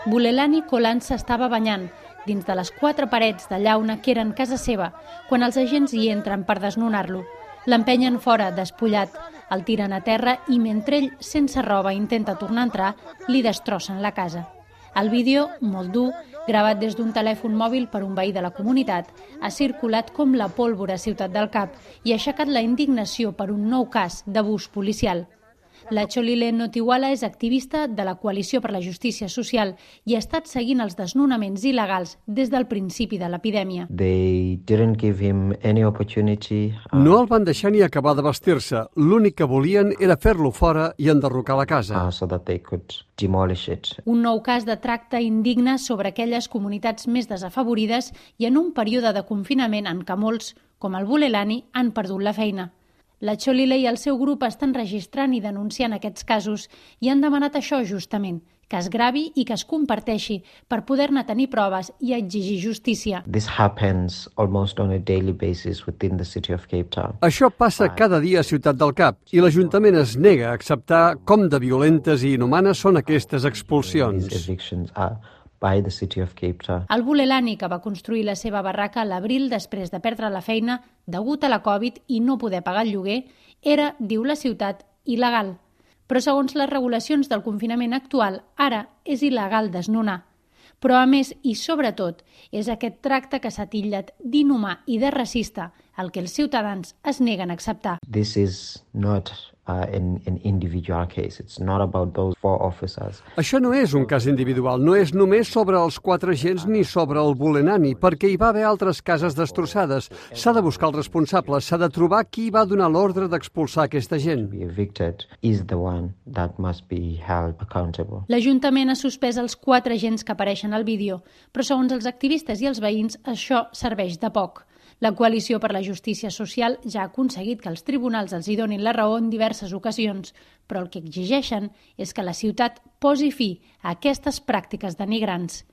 Bulelani Kolan s'estava banyant dins de les 4 parets de llauna que eren casa seva quan els agents hi entren per desnonar-lo. L'empenyen fora, despullat, el tiren a terra i mentre ell, sense roba, intenta tornar a entrar, li destrossen la casa. El vídeo, molt dur, gravat des d'un telèfon mòbil per un veí de la comunitat, ha circulat com la pólvora a Ciutat del Cap i ha aixecat la indignació per un nou cas d'abús policial. La Cholile Notiwala és activista de la Coalició per la Justícia Social i ha estat seguint els desnonaments il·legals des del principi de l'epidèmia. No el van deixar ni acabar de vestir-se. L'únic que volien era fer-lo fora i enderrocar la casa. Un nou cas de tracte indigne sobre aquelles comunitats més desafavorides i en un període de confinament en què molts, com el Bulelani, han perdut la feina. La Cholile i el seu grup estan registrant i denunciant aquests casos i han demanat això justament, que es gravi i que es comparteixi per poder-ne tenir proves i exigir justícia. Això passa cada dia a Ciutat del Cap i l'Ajuntament es nega a acceptar com de violentes i inhumanes són aquestes expulsions. El Bulelani, que va construir la seva barraca a l'abril després de perdre la feina degut a la Covid i no poder pagar el lloguer, era, diu la ciutat, il·legal. Però segons les regulacions del confinament actual, ara és il·legal desnonar. Però a més, i sobretot, és aquest tracte que s'ha titllat d'inhumà i de racista el que els ciutadans es neguen a acceptar. Això no és un cas individual, no és només sobre els 4 agents ni sobre el Bulelani, perquè hi va haver altres cases destrossades. S'ha de buscar els responsables, s'ha de trobar qui va donar l'ordre d'expulsar aquesta gent. L'Ajuntament ha suspès els 4 agents que apareixen al vídeo, però segons els activistes i els veïns això serveix de poc. La Coalició per la Justícia Social ja ha aconseguit que els tribunals els hi donin la raó en diverses ocasions, però el que exigeixen és que la ciutat posi fi a aquestes pràctiques denigrants.